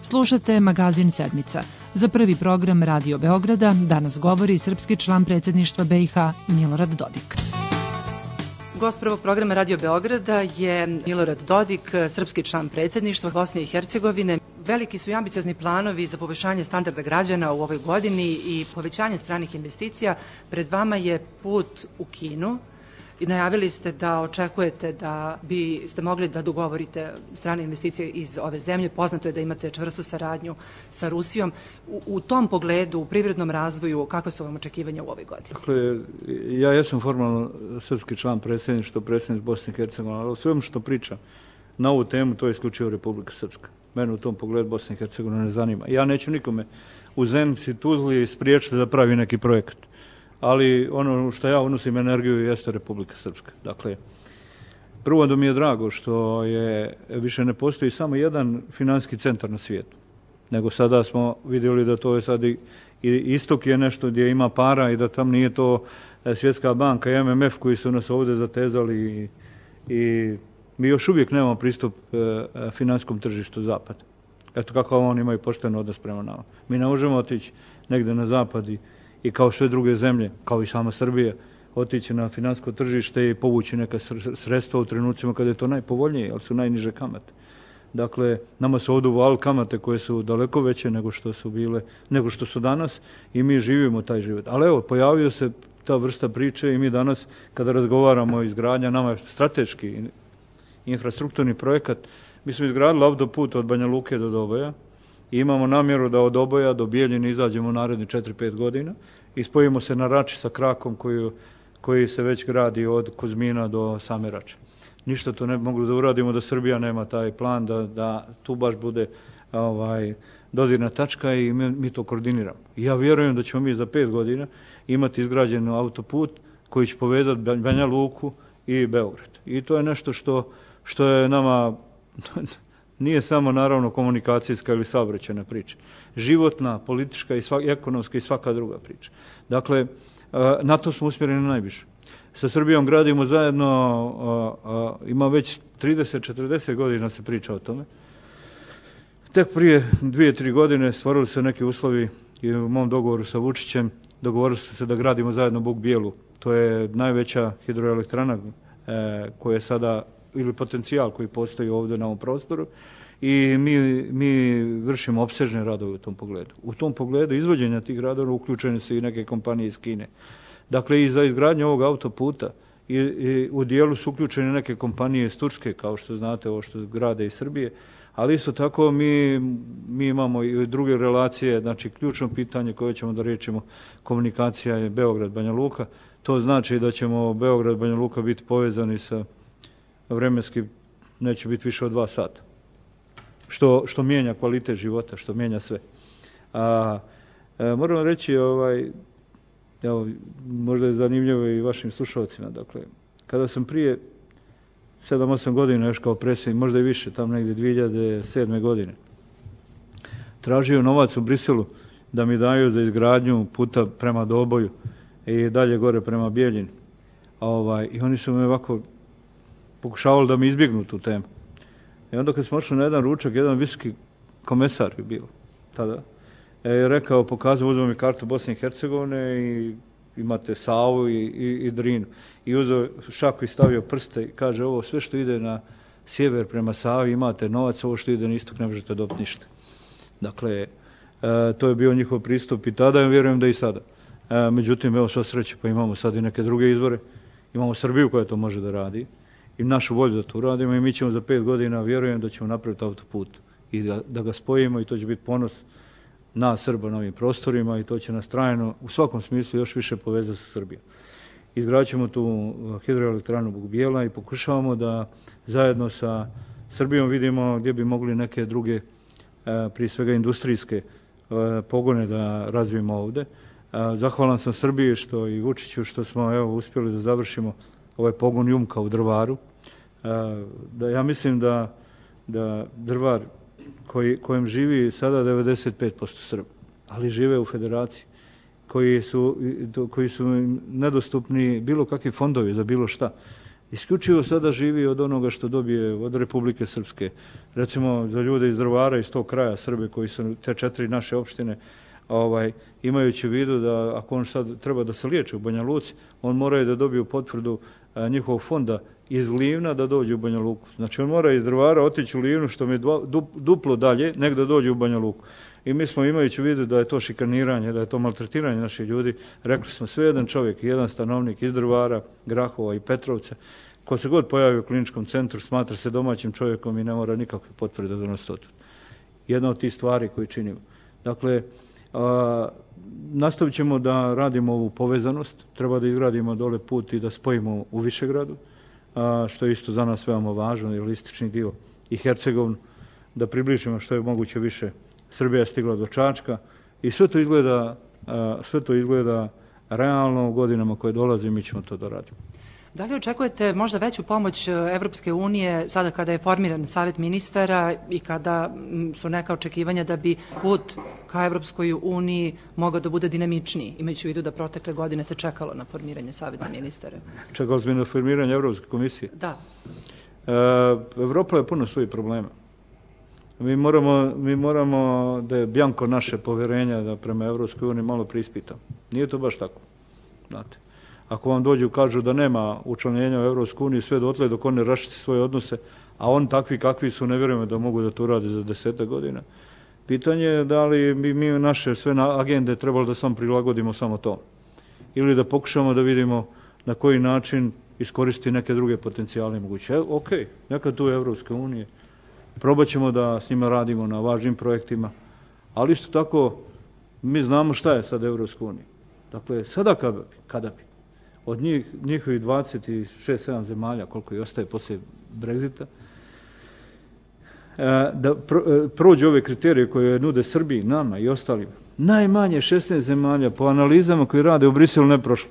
Slušate magazin Sedmica. Za prvi program Radio Beograda danas govori srpski član predsjedništva BiH Milorad Dodik. Gost prvog programa Radio Beograda je Milorad Dodik, srpski član predsjedništva Bosne i Hercegovine. Veliki su i ambiciozni planovi za poboljšanje standarda građana u ovoj godini i povećanje stranih investicija. Pred vama je put u Kinu i najavili ste da očekujete da biste mogli da dogovorite strane investicije iz ove zemlje. Poznato je da imate čvrstu saradnju sa Rusijom. U tom pogledu, u privrednom razvoju, kakve su vam očekivanja u ovoj godini? Dakle, ja jesam formalno srpski član predsjedništva, predsjednik Bosne i Hercegovine, ali sve što pričam na ovu temu, to je isključivo Republika Srpska. Mene u tom pogledu Bosna i Hercegovina ne zanima. Ja neću nikome u Zenici, Tuzli spriječiti da pravi neki projekat. Ali ono što ja unosim energiju jeste Republika Srpska. Dakle, prvo da mi je drago što više ne postoji samo jedan financijski centar na svijetu, nego sada smo vidjeli da to je sad i istok je nešto gdje ima para i da tam nije to Svjetska banka i MMF koji su nas ovdje zatezali i mi još uvijek nemamo pristup finansijskom tržištu zapada. Eto kako oni imaju pošten odnos prema nama. Mi ne možemo otići negdje na zapad i kao sve druge zemlje, kao i sama Srbija, otići na financijsko tržište i povući neka sredstva u trenucima kada je to najpovoljnije, ali su najniže kamate. Dakle, nama su ovdje uvali kamate koje su daleko veće nego što su danas i mi živimo taj život. Ali evo, pojavio se ta vrsta priče i mi danas, kada razgovaramo o izgradnja, nama je strateški infrastrukturni projekat, mi smo izgradili autoput od Banja Luke do Doboja i imamo namjeru da od Doboja do Bijeljine izađemo u naredni 4-5 godina i spojimo se na Rači sa krakom koji se već gradi od Kuzmina do same Rače. Ništa to ne bi mogli da uradimo da Srbija nema taj plan, da tu baš bude dodirna tačka i mi to koordiniramo. I ja vjerujem da ćemo mi za 5 godina imati izgrađen autoput koji će povezati Banja Luku i Beograd. I to je nešto što je nama, nije samo naravno komunikacijska ili saobraćajna priča. Životna, politička i ekonomska i svaka druga priča. Dakle, na to smo usmjereni najviše. Sa Srbijom gradimo zajedno, ima već 30-40 godina se priča o tome. Tek prije 2-3 godine stvorili se neki uslovi i u mom dogovoru sa Vučićem dogovorili su se da gradimo zajedno Buk Bijelu. To je najveća hidroelektrana koja je sada, ili potencijal koji postoji ovdje na ovom prostoru i mi vršimo opsežne radove u tom pogledu. U tom pogledu izvođenja tih radova uključene su i neke kompanije iz Kine. Dakle, i za izgradnju ovog autoputa i u dijelu su uključene neke kompanije iz Turske, kao što znate, ovo što grade iz Srbije, ali isto tako mi imamo i druge relacije, znači ključno pitanje koje ćemo da riješimo, komunikacija je Beograd-Banja Luka. To znači da ćemo Beograd-Banja Luka biti povezani sa vremenski, neće biti više od 2 sata. Što mijenja kvalitet života, što mijenja sve. Moram reći, evo, možda je zanimljivo i vašim slušalcima, dakle, kada sam prije 7-8 godina još kao predsjednik, možda i više, tamo negdje 2007. godine, tražio novac u Briselu da mi daju za izgradnju puta prema Doboju i dalje gore prema Bijeljini. I oni su me ovako pokušavali da mi izbjegnu tu temu. I onda kad smo ošli na jedan ručak, jedan visoki komesar je bio tada, je rekao, pokazao, uzeo mi kartu Bosne i Hercegovine i imate Savu i Drinu. I uzeo šaku i stavio prste i kaže, ovo sve što ide na sjever prema Savi imate novac, ovo što ide na istok ne možete dobiti ništa. Dakle, to je bio njihov pristup i tada, ja vjerujem da i sada. Međutim, evo sva sreće, pa imamo sad i neke druge izvore. Imamo Srbiju koja to može da radi i našu volju da to uradimo i mi ćemo za 5 godina, vjerujem da ćemo napraviti autoput i da ga spojimo i to će biti ponos nas Srba na ovim prostorima i to će nas trajno u svakom smislu još više povezati sa Srbijom. Izgradit ćemo tu hidroelektranu Buk Bijela i pokušavamo da zajedno sa Srbijom vidimo gdje bi mogli neke druge, prije svega industrijske pogone da razvijemo ovdje. Zahvalan sam Srbiji što i Vučiću što smo uspjeli da završimo ovaj pogon Jumka u Drvaru. Ja mislim da Drvar kojem živi sada 95% Srba, ali žive u federaciji, koji su nedostupni bilo kakvi fondovi za bilo šta. Isključivo sada živi od onoga što dobije od Republike Srpske. Recimo za ljude iz Drvara, iz tog kraja Srbe koji su te 4 naše opštine, imajući u vidu da ako on sad treba da se liječi u Banja Luci, on mora da dobiju potvrdu njihovog fonda iz Livna da dođe u Banja Luku. Znači on mora iz Drvara otići u Livnu što mi je duplo dalje nego da dođe u Banja Luku. I mi smo imajući u vidu da je to šikaniranje, da je to maltretiranje naših ljudi, rekli smo sve jedan čovjek, jedan stanovnik iz Drvara, Grahova i Petrovca, ko se god pojavi u kliničkom centru smatra se domaćim čovjekom i ne mora nikakve potvrde donositi od. Jedna od tih stvari koje činimo. Dakle, nastavit ćemo da radimo ovu povezanost, treba da izgradimo dole put i da spojimo u Višegradu, što je isto za nas veoma važno, jer istočni dio i Hercegovinu, da približimo što je moguće više. Srbija je stigla do Čačka i sve to izgleda realno u godinama koje dolaze i mi ćemo to da radimo. Da li očekujete možda veću pomoć Evropske unije sada kada je formiran Savet ministara i kada su neka očekivanja da bi put ka Evropskoj uniji mogao da bude dinamičniji, imajući u vidu da protekle godine se čekalo na formiranje Saveta ministara? Čekalo smo na formiranje Evropske komisije? Da. Evropa je puno svojih problema. Mi moramo da je bjanko naše poverenja da prema Evropskoj uniji malo preispitamo. Nije to baš tako. Znate. Ako vam dođu kažu da nema učlanjenja u Evropsku uniju sve dotle dok oni raščisti svoje odnose, a on takvi kakvi su, ne vjerujemo da mogu da to rade za 10 godina. Pitanje je da li bi mi naše sve agende trebalo da samo prilagodimo samo to. Ili da pokušamo da vidimo na koji način iskoristiti neke druge potencijale moguće. Ok, neka tu je Evropska unija. Probat ćemo da s njima radimo na važnim projektima, ali isto tako mi znamo šta je sad Evropska unija. Dakle, sada kada bi od njihovih 26-7 zemalja, koliko i ostaje poslije Brexita, da prođu ove kriterije koje nude Srbiji, nama i ostalima. Najmanje 16 zemalja po analizama koji rade u Briselu ne prošlo.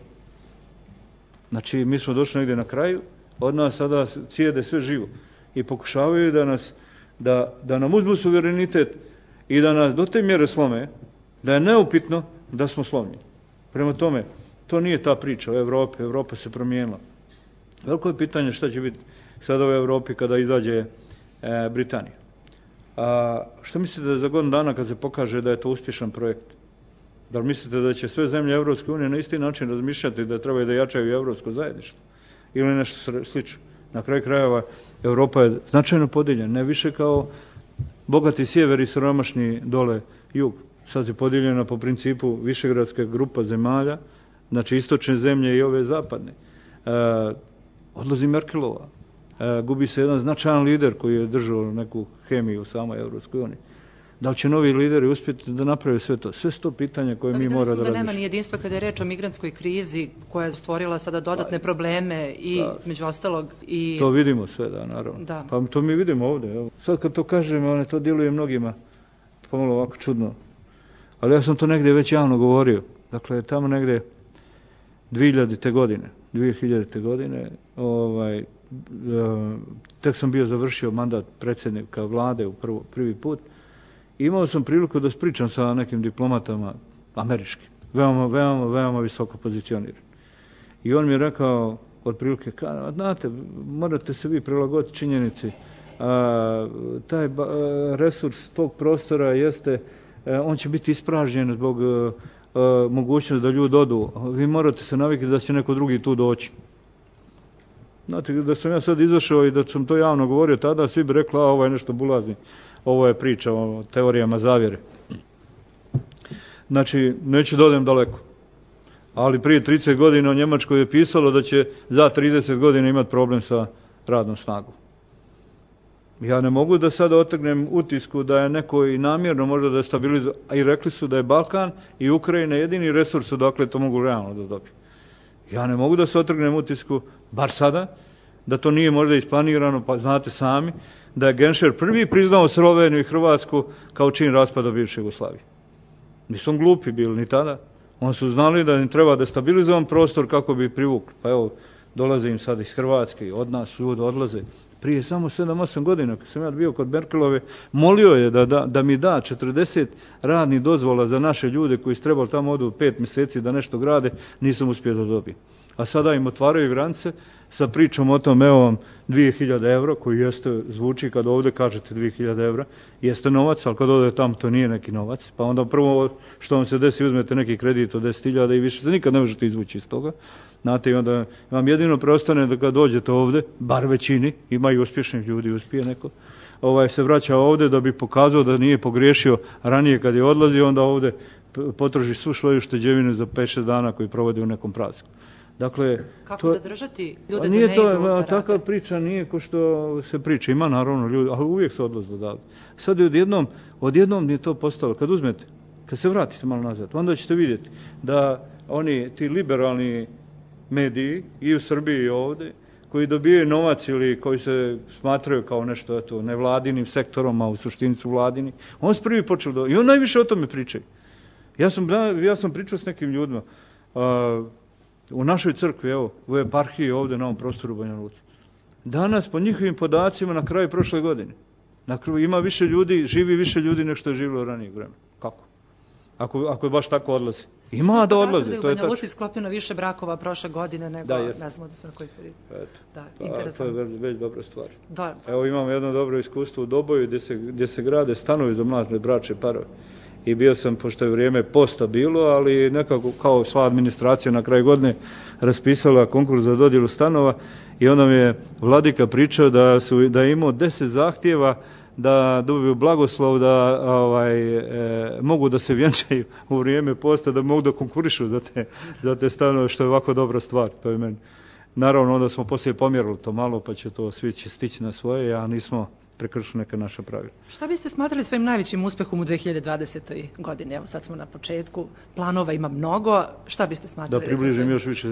Znači, mi smo došli negdje na kraju, od nas sada cijede sve živo i pokušavaju da nam uzmu suverenitet i da nas do te mjere slome, da je neupitno da smo slomljeni. Prema tome, to nije ta priča o Evropi, Evropa se promijenila. Veliko je pitanje šta će biti sada u Evropi kada izađe Britanija. A što mislite da za godinu dana kad se pokaže da je to uspješan projekt? Da li mislite da će sve zemlje Evropske unije na isti način razmišljati da trebaju da jačaju evropsko zajedništvo? Ili nešto slično? Na kraju krajeva Evropa je značajno podijeljena, ne više kao bogati sjever i siromašni dole jug. Sad je podijeljena po principu višegradska grupa zemalja, znači istočne zemlje i ove zapadne. Odlazi Merkelova. Gubi se jedan značajan lider koji je držao neku hemiju u samoj Evropskoj uniji. Da li će novi lideri uspjeti da naprave sve to? Sve su to pitanja koje mi mora da razmišljamo. Da nema ni jedinstva kada je reč o migrantskoj krizi koja je stvorila sada dodatne probleme i između ostalog i... To vidimo sve, da, naravno. Da. Pa to mi vidimo ovdje. Evo. Sad kad to kažemo, to djeluje mnogima pomalo ovako čudno. Ali ja sam to negdje već javno govorio. Dakle, tamo negdje 2000. godine, tek sam bio završio mandat predsjednika vlade u prvi put. Imao sam priliku da pričam sa nekim diplomatama američkim, veoma visoko pozicionirani. I on mi je rekao, otprilike, znate, morate se vi prilagoditi činjenici, taj resurs tog prostora jeste, on će biti ispražnjen zbog mogućnosti da ljudi odu. Vi morate se navikiti da će neko drugi tu doći. Znate, da sam ja sad izašao i da sam to javno govorio tada, svi bi rekli, ovo je nešto bulazni. Ovo je priča o teorijama zavjere. Znači, neću da odem daleko. Ali prije 30 godina u Njemačkoj je pisalo da će za 30 godina imati problem sa radnom snagom. Ja ne mogu da sada otrgnem utisku da je neko i namjerno možda da je stabilizovao, a i rekli su da je Balkan i Ukrajina jedini resurs odakle to mogu realno da dobiju. Ja ne mogu da se otrgnem utisku, bar sada, da to nije možda isplanirano, pa znate sami, da je Genšer prvi priznao Sloveniju i Hrvatsku kao čin raspada bivše Jugoslavije. Nisu glupi bili ni tada. Oni su znali da im treba destabilizovan prostor kako bi privukli. Pa evo, dolaze im sad iz Hrvatske i od nas ljudi odlaze. Prije samo 7-8 godina, kad sam ja bio kod Merkelove, molio je da mi da 40 radnih dozvola za naše ljude koji su trebali tamo odu 5 mjeseci da nešto grade, nisam uspio da dobijem. A sada im otvaraju granice sa pričom o tom, evo vam 2000 eura, koji jeste, zvuči kad ovdje kažete 2000 eura, jeste novac, ali kad ovdje tamo to nije neki novac. Pa onda prvo što vam se desi, uzmete neki kredit od 10.000 i više se nikad ne možete izvući iz toga. Znate, i onda vam jedino preostane da kad dođete ovdje, bar većini, ima i uspješnih ljudi, uspije neko, se vraća ovdje da bi pokazao da nije pogriješio ranije kad je odlazio, onda ovdje potroši svu svoju šteđevinu za 5-6 dana koji provodi u nekom prazniku. Dakle, kako zadržati ljude da ne idu da rade? Takva priča nije ko što se priča. Ima naravno ljudi, ali uvijek se odlaze odavde. Sad je odjednom je to postalo. Kad uzmete, kad se vratite malo nazad, onda ćete vidjeti da ti liberalni mediji i u Srbiji i ovdje, koji dobijaju novac ili koji se smatraju kao nešto nevladinim sektorom, a u suštini su vladini, on se prvi počeo i on najviše o tome pričaju. Ja sam pričao s nekim ljudima, u našoj crkvi, evo, u eparhiji ovdje na ovom prostoru Banja Luci. Danas, po njihovim podacima, na kraju prošle godine, ima više ljudi, živi više ljudi nego što je živjelo ranijeg vremena. Kako? Ako je baš tako odlazi. Ima da odlaze. Da je u Banja Luci sklopljeno više brakova prošle godine nego, ne znamo da su na koji period. Da, to je već dobra stvar. Da. Evo imamo jedno dobro iskustvo u Doboju gdje se grade stanovi za mlade bračne parove. I bio sam, pošto je vrijeme posta bilo, ali nekako kao sva administracija na kraju godine raspisala konkurs za dodjelu stanova i onda mi je vladika pričao da je imao 10 zahtjeva da dobiju blagoslov, da mogu da se vjenčaju u vrijeme posta, da mogu da konkurišu za te stanove, što je ovako dobra stvar. To je meni. Naravno, onda smo poslije pomjerili to malo, pa će to svi stići na svoje, a nismo prekršili neka naša pravila. Šta biste smatrali svojim najvećim uspehom u 2020. godini? Evo sad smo na početku, planova ima mnogo, šta biste smatrali? Da približim još više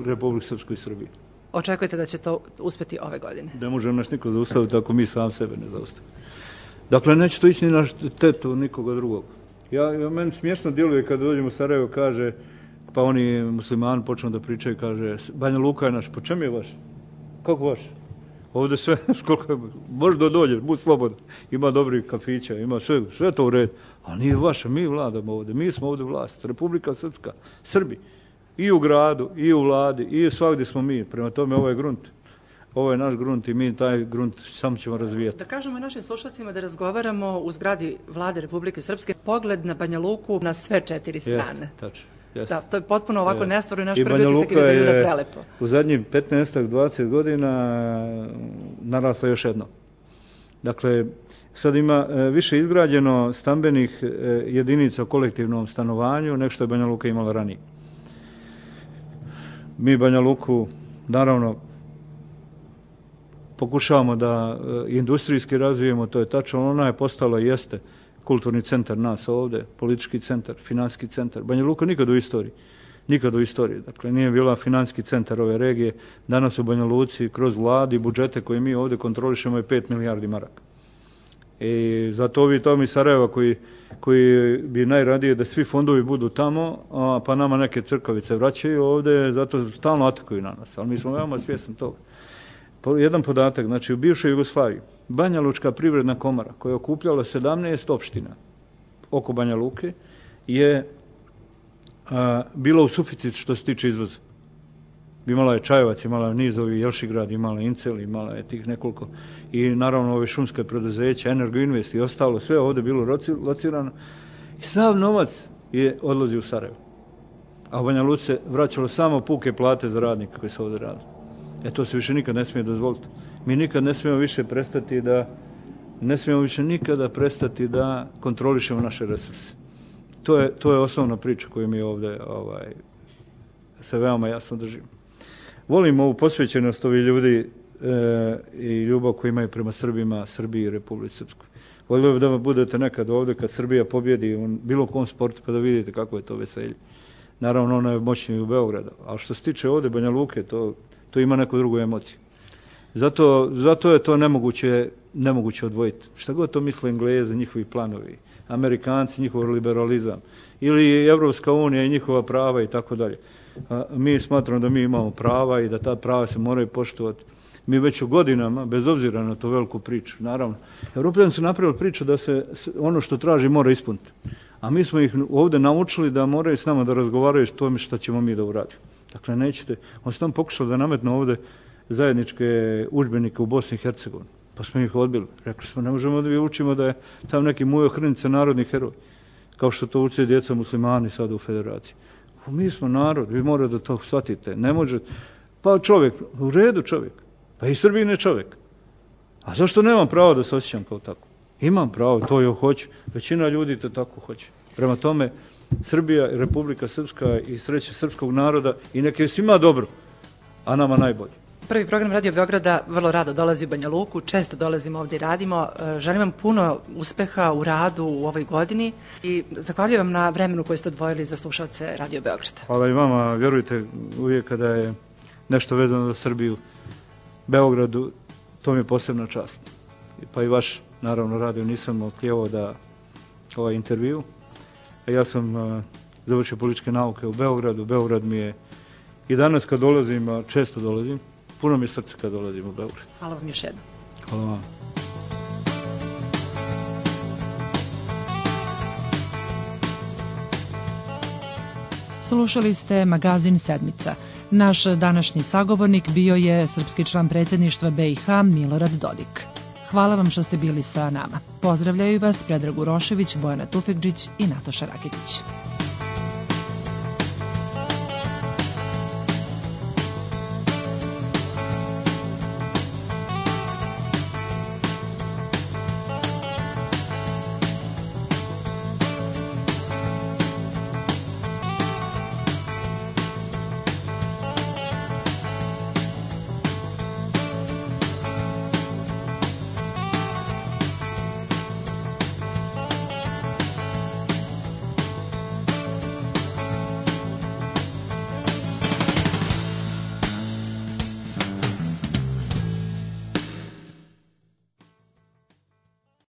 Republiku Srpsku i Srbiju. Očekujete da će to uspjeti ove godine? Ne može nas niko zaustaviti ako mi sam sebe ne zaustavimo. Dakle, neće to ići ni na štetu nikoga drugog. Meni smiješno djeluje kad dođemo u Sarajevo, kaže, pa oni muslimani počnu da pričaju, kaže, Banja Luka je naš, po čem je vaš? Kako vaš? Ovdje sve, može da dođe, budi slobodan. Ima dobrih kafića, ima sve to u redu. A nije vaše, mi vladamo ovdje, mi smo ovdje vlast, Republika Srpska, Srbi. I u gradu, i u vladi, i svagdje smo mi. Prema tome, ovo je grunt. Ovo je naš grunt i mi taj grunt samo ćemo razvijati. Da kažemo našim slušalcima da razgovaramo u zgradi Vlade Republike Srpske, pogled na Banja Luku na sve 4 strane. Jeste, tačno. Da, to je potpuno ovako nestvarno i naš prvi utisak je da izgleda prelepo. U zadnjih 15-20 godina narasla još jedno. Dakle, sad ima više izgrađeno stambenih jedinica u kolektivnom stanovanju nego što je Banja Luka imala ranije. Mi Banja Luku, naravno, pokušavamo da industrijski razvijemo, to je tačno, ona je postala i jeste kulturni centar nas ovdje, politički centar, financijski centar. Banja Luka nikad u istoriji. Dakle, nije bila financijski centar ove regije. Danas u Banja Luci kroz vladi budžete koje mi ovdje kontrolišemo je 5 milijardi maraka. I zato ovi tomi Sarajeva koji bi najradije da svi fondovi budu tamo, pa nama neke crkavice vraćaju ovdje, zato stalno atakuju na nas. Ali mi smo veoma svjesni toga. Jedan podatak, znači u bivšoj Jugoslaviji, Banja Lučka privredna komora, koja je okupljala 17 opština oko Banja Luke, je bila u suficit što se tiče izvoza. Imala je Čajevac, imala je Nizovi, Jelšigrad, imala je Incel, imala je tih nekoliko. I naravno ove šumske preduzeća, Energoinvest i ostalo, sve ovdje bilo locirano. I sav novac je odlazio u Sarajevo. A u Banja Luci se vraćalo samo puke plate za radnike koji se ovdje radi. To se više nikad ne smije dozvoliti. Mi nikad ne smijemo više nikada prestati da kontrolišemo naše resurse. To je osnovna priča koju mi ovdje se veoma jasno držimo. Volim ovu posvećenost ovih ljudi i ljubav koju imaju prema Srbima, Srbiji i Republici Srpskoj. Volio bih da budete nekad ovdje kad Srbija pobjedi u bilo kom sportu pa da vidite kako je to veselje. Naravno, ona je moćnija u Beogradu, ali što se tiče ovdje Banja Luke, to ima neku drugu emociju. Zato je to nemoguće odvojiti. Šta god to misle Englezi, njihovi planovi, Amerikanci, njihov liberalizam, ili Evropska unija i njihova prava i tako dalje. Mi smatramo da mi imamo prava i da ta prava se moraju poštovati. Mi već u godinama, bez obzira na tu veliku priču, naravno, Europljani su napravili priču da se ono što traži mora ispuniti. A mi smo ih ovdje naučili da moraju s nama da razgovaraju s tome što ćemo mi da uradimo. Dakle, nećete. On se tam pokušao da nametnu ovdje zajedničke udžbenike u Bosni i Hercegovini. Pa smo ih odbili. Rekli smo, ne možemo da vi učimo da je tam neki Mujo Hrnica narodni heroj. Kao što to uče djeca muslimani sada u federaciji. Mi smo narod, vi morate da to shvatite. Ne može. Pa čovjek, u redu čovjek. Pa i Srbin je čovjek. A zašto nemam pravo da se osjećam kao tako? Imam pravo, to joj hoću. Većina ljudi to tako hoće. Prema tome, Srbija i Republika Srpska i sreća srpskog naroda i neke je svima dobro, a nama najbolje. Prvi program Radio Beograda vrlo rado dolazi u Banja Luku, često dolazimo ovdje i radimo. Želim vam puno uspeha u radu u ovoj godini i zahvaljujem vam na vremenu koje ste odvojili za slušalce Radio Beograda. Hvala i vama, vjerujte, uvijek kada je nešto vezano za Srbiju, Beogradu, to mi je posebna čast. Pa i vaš, naravno, radio nisam otklijevao da ovaj intervju. Ja sam završio političke nauke u Beogradu. Beograd mi je i danas kad dolazim, često dolazim, puno mi je srce kad dolazim u Beograd. Hvala vam još jednom. Hvala vam. Slušali ste magazin Sedmica. Naš današnji sagovornik bio je srpski član predsjedništva BiH Milorad Dodik. Hvala vam što ste bili sa nama. Pozdravljaju vas Predrag Urošević, Bojana Tufekđić i Nataša Raketić.